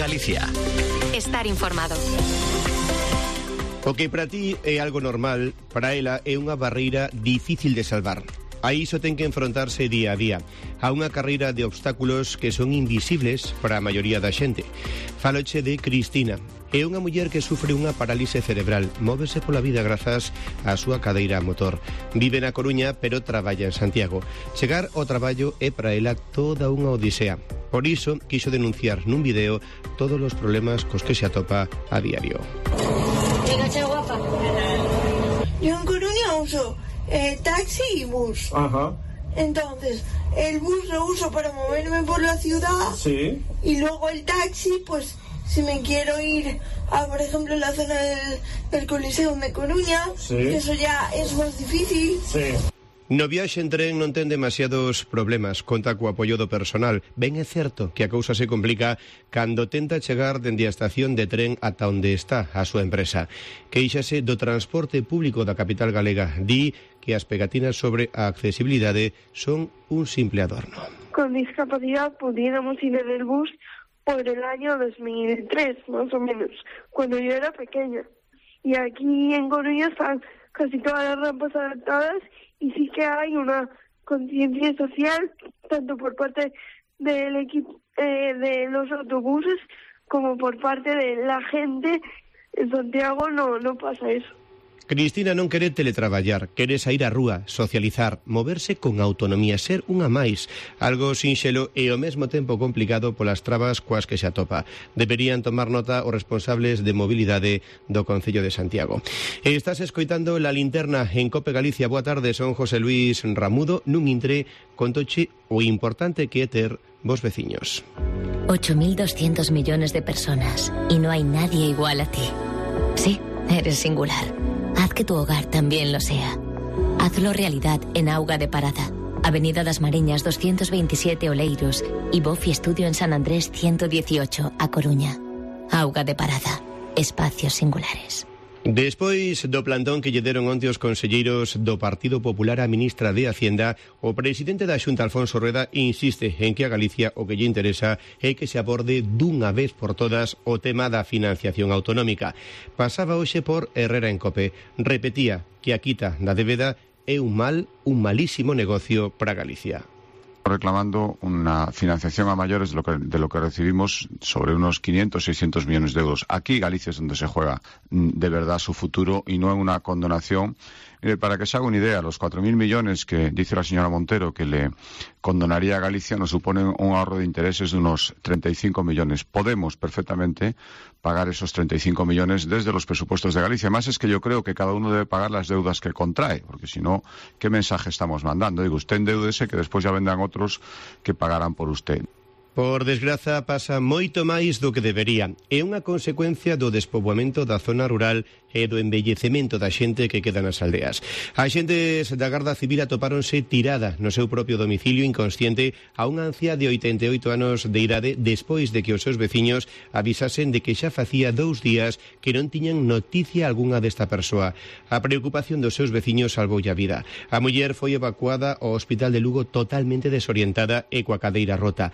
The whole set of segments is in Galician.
Galicia. Estar informado. O que para ti é algo normal, para ela é unha barreira difícil de salvar. A iso ten que enfrontarse día a día, a unha carreira de obstáculos que son invisibles para a maioría da xente. Faloche de Cristina. É unha muller que sufre unha parálise cerebral, móvese pola vida grazas á súa cadeira a motor. Vive na Coruña, pero traballa en Santiago. Chegar ao traballo é para ela toda unha odisea. Por iso, quixo denunciar nun video todos os problemas cos que se atopa a diario. Venga, guapa. Yo en Coruña uso taxi y bus. Ajá. Entonces, el bus lo uso para moverme por la ciudad. Sí. Y luego el taxi, pues, si me quiero ir a, por ejemplo, la zona del Coliseo de Coruña, sí, eso ya es más difícil. Sí. No viaxe en tren non ten demasiados problemas, conta co apoio do personal. Ben é certo que a cousa se complica cando tenta chegar dende a estación de tren ata onde está a súa empresa. Queixase do transporte público da capital galega. Di que as pegatinas sobre a accesibilidade son un simple adorno. Con discapacidad pudiéramos ir en el bus por el año 2003, más o menos, cuando yo era pequeña. Y aquí en Coruña están casi todas las rampas adaptadas y sí que hay una conciencia social, tanto por parte del equipo de los autobuses como por parte de la gente. En Santiago no pasa eso. Cristina non quere teletraballar, quere sair á rúa, socializar, moverse con autonomía, ser unha máis, algo sinxelo e ao mesmo tempo complicado polas trabas coas que se atopa. Deberían tomar nota os responsables de mobilidade do Concello de Santiago. E estás escoitando La Linterna en Cope Galicia. Boa tarde, son José Luis Ramudo, nun intre contoche o importante que é ter vos veciños. 8.200 millones de personas y no hay nadie igual a ti. Sí, eres singular. Haz que tu hogar también lo sea. Hazlo realidad en Auga de Parada, Avenida das Mariñas 227 Oleiros y Bofi Estudio en San Andrés 118, A Coruña. Auga de Parada, espacios singulares. Despois do plantón que lle deron onte os conselleiros do Partido Popular á ministra de Hacienda, o presidente da Xunta, Alfonso Rueda, insiste en que a Galicia o que lle interesa é que se aborde dunha vez por todas o tema da financiación autonómica. Pasaba hoxe por Herrera en Cope. Repetía que a quita da débeda é un malísimo negocio para Galicia. Reclamando una financiación a mayores de lo que recibimos, sobre unos 500, 600 millones de euros. Aquí Galicia es donde se juega de verdad su futuro y no en una condonación. Mire, para que se haga una idea, los 4.000 millones que dice la señora Montero que le condonaría a Galicia nos suponen un ahorro de intereses de unos 35 millones. Podemos perfectamente pagar esos 35 millones desde los presupuestos de Galicia. Además es que yo creo que cada uno debe pagar las deudas que contrae, porque si no, ¿qué mensaje estamos mandando? Digo, usted endeúdese que después ya vendrán otros que pagarán por usted. Por desgraza, pasa moito máis do que debería. É unha consecuencia do despoboamento da zona rural e do envellecemento da xente que queda nas aldeas. As xentes da Garda Civil atopáronse tirada no seu propio domicilio inconsciente a unha anciá de 88 anos de idade despois de que os seus veciños avisasen de que xa facía 2 días que non tiñan noticia algunha desta persoa. A preocupación dos seus veciños salvoulle a vida. A muller foi evacuada ao Hospital de Lugo totalmente desorientada e coa cadeira rota.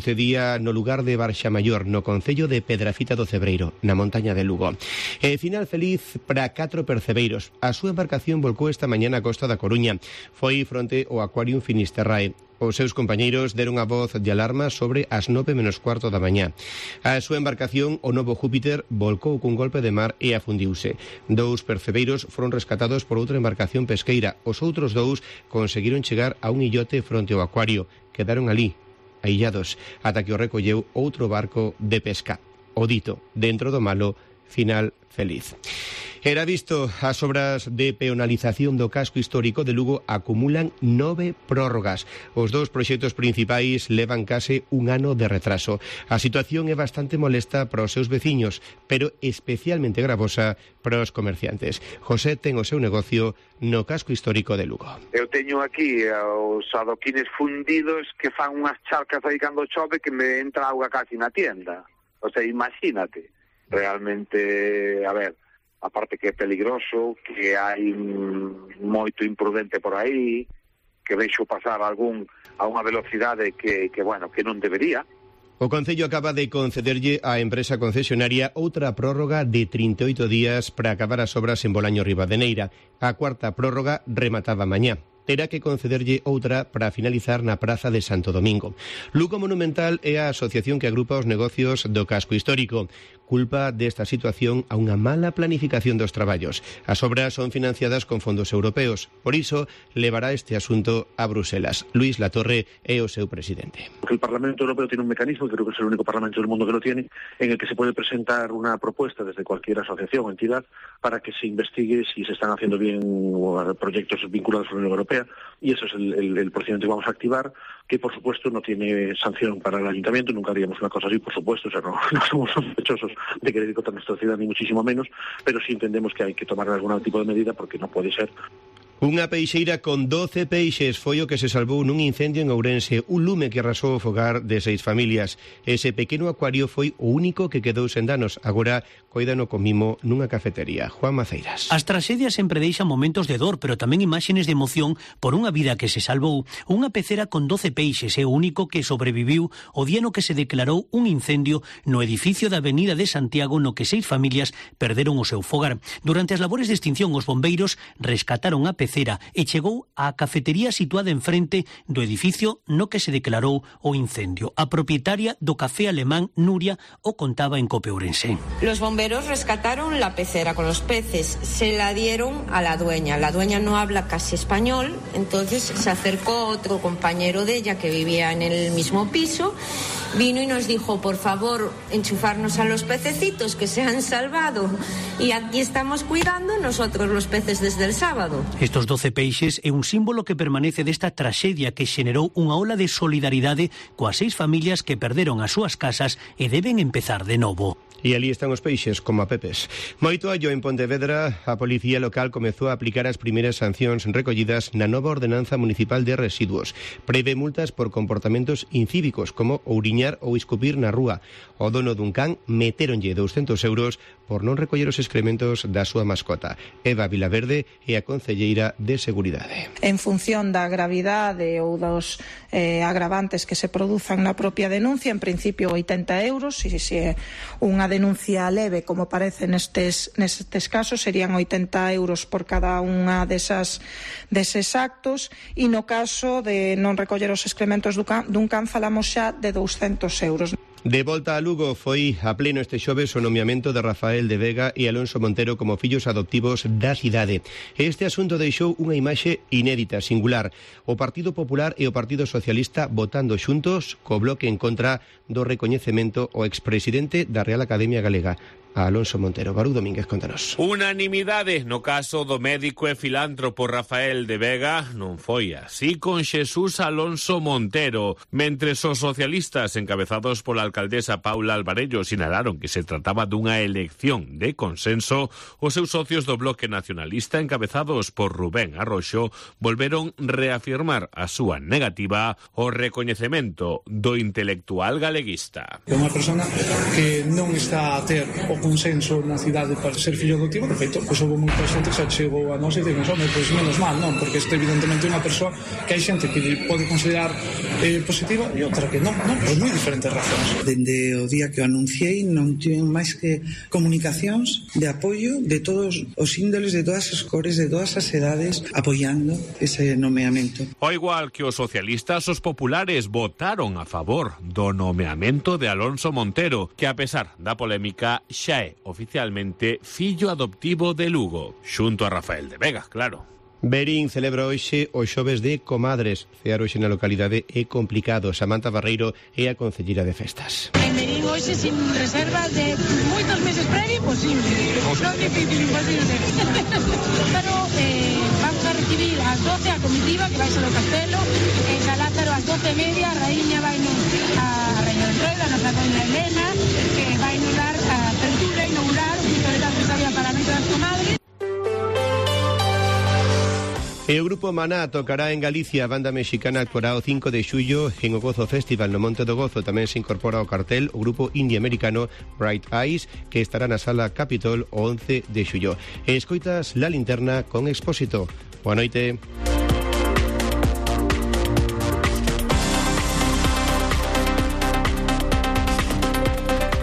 Sucedía no lugar de Barxa Maior, no concello de Pedrafita do Cebreiro, na montaña de Lugo. E final feliz para 4 percebeiros. A súa embarcación volcou esta mañá na costa da Coruña. Foi fronte ao Aquarium Finisterrae. Os seus compañeiros deron a voz de alarma sobre as 9:15 da mañá. A súa embarcación, o Novo Júpiter, volcou cun golpe de mar e afundiuse. 2 percebeiros foron rescatados por outra embarcación pesqueira. Os outros 2 conseguiron chegar a un illote fronte ao acuario. Quedaron ali, aillados, ata que o recolleu outro barco de pesca. O dito, dentro do malo, final feliz. Era visto, as obras de peonalización do casco histórico de Lugo acumulan 9 prórrogas. Os 2 proxectos principais levan case un ano de retraso. A situación é bastante molesta para os seus veciños, pero especialmente gravosa para os comerciantes. José ten o seu negocio no casco histórico de Lugo. Eu teño aquí os adoquines fundidos que fan unhas charcas aí cando chove que me entra auga casi na tienda. O sea, imagínate. Realmente, a ver, aparte que é peligroso, que hai moito imprudente por aí, que vexo pasar a unha velocidade que bueno, que non debería. O Concello acaba de concederlle á empresa concesionaria outra prórroga de 38 días para acabar as obras en Bolaño Ribadeneira. A cuarta prórroga remataba mañá. Terá que concederlle outra para finalizar na Praza de Santo Domingo. Lugo Monumental é a asociación que agrupa os negocios do casco histórico. Culpa desta situación a unha mala planificación dos traballos. As obras son financiadas con fondos europeos. Por iso, levará este asunto a Bruselas. Luis Latorre é o seu presidente. El Parlamento Europeo tiene un mecanismo, creo que es el único parlamento del mundo que lo tiene, en el que se puede presentar una propuesta desde cualquier asociación o entidad para que se investigue si se están haciendo bien proyectos vinculados a la Unión Europea, y eso es el procedimiento que vamos a activar, que por supuesto no tiene sanción para el ayuntamiento. Nunca haríamos una cosa así, por supuesto, o sea, no somos sospechosos de querer ir contra nuestra ciudad, ni muchísimo menos, pero sí entendemos que hay que tomar algún tipo de medida, porque no puede ser. Unha peixeira con 12 peixes foi o que se salvou nun incendio en Ourense, un lume que arrasou o fogar de 6 familias. Ese pequeno acuario foi o único que quedou sen danos. Agora coídano con mimo nunha cafetería. Juan Maceiras. As tragedias sempre deixan momentos de dor, pero tamén imaxes de emoción por unha vida que se salvou. Unha pecera con 12 peixes é o único que sobreviviu o día no que se declarou un incendio no edificio da Avenida de Santiago, no que 6 familias perderon o seu fogar. Durante as labores de extinción, os bombeiros rescataron a pecera e chegou á cafetería situada enfrente do edificio no que se declarou o incendio. A propietaria do café alemán, Nuria, o contaba en COPE Ourense. Los bomberos rescataron la pecera con los peces, se la dieron a la dueña. La dueña no habla casi español, entonces se acercó otro compañero de ella que vivía en el mismo piso, vino y nos dijo, por favor, enchufarnos a los pececitos que se han salvado, y aquí estamos cuidando nosotros los peces desde el sábado. Estos 12 peixes é un símbolo que permanece desta traxedia que xenerou unha ola de solidaridade coas 6 familias que perderon as súas casas e deben empezar de novo. E ali están os peixes, como a pepes. Moito allo en Pontevedra, a Policía Local comezou a aplicar as primeiras sancións recollidas na nova ordenanza municipal de residuos. Prevé multas por comportamentos incívicos, como ouriñar ou escupir na rúa. O dono dun can metéronlle 200 euros por non recoller os excrementos da súa mascota. Eva Vilaverde é a concelleira de Seguridade. En función da gravidade ou dos agravantes que se produzan na propia denuncia, en principio 80 euros, e se é unha denuncia leve, como parece nestes casos, serían 80 euros por cada unha deses actos, e no caso de non recoller os excrementos dun can falamos xa de 200 euros. De volta a Lugo foi a pleno este xoves o nomeamento de Rafael de Vega e Alonso Montero como fillos adoptivos da cidade. Este asunto deixou unha imaxe inédita, singular. O Partido Popular e o Partido Socialista votando xuntos co bloque en contra do recoñecemento ao expresidente da Real Academia Galega, a Alonso Montero. Barú Domínguez, contanos. Unanimidade no caso do médico e filántropo Rafael de Vega non foi así con Xesús Alonso Montero. Mentres os socialistas encabezados pola alcaldesa Paula Alvarello sinalaron que se trataba dunha elección de consenso, os seus socios do bloque nacionalista encabezados por Rubén Arroxo volveron reafirmar a súa negativa ao recoñecemento do intelectual galeguista. É unha persona que non está a ter o consenso na cidade para ser fillo adoptivo. De feito, pois houve moita xente que xa chegou a nós e dicen, pois menos mal, non? Porque este evidentemente é unha persoa que hai xente que pode considerar positiva e outra que non, por moi diferentes razóns. Dende o día que o anunciei non tiven máis que comunicacións de apoio de todos os índoles, de todas as cores, de todas as edades, apoiando ese nomeamento. Ao igual que os socialistas, os populares votaron a favor do nomeamento de Alonso Montero, que a pesar da polémica xa é oficialmente fillo adoptivo de Lugo, xunto a Rafael de Vega, claro. Berín celebra hoxe o xoves de Comadres. Cear hoxe na localidade é complicado. Samantha Barreiro é a concelleira de festas. En Berín hoxe sin reservas de moitos meses previo, imposible. Non difícil, imposible. Pero vamos a recibir ás 12 a comitiva que vai ser do Castelo, en Galázaro ás 12:30 a raíña vai a Raíña del Troida, a nosa doña Elena, que vai nos dar a apertura inaugurar o Pistoleta Empresaria para a Noite das Comadres. E o grupo Maná tocará en Galicia. A banda mexicana actuará o 5 de xullo en o Gozo Festival no Monte do Gozo. Tamén se incorpora ao cartel o grupo indie-americano Bright Eyes, que estará na Sala Capitol o 11 de xullo. E escoitas La Linterna con Expósito. Boa noite.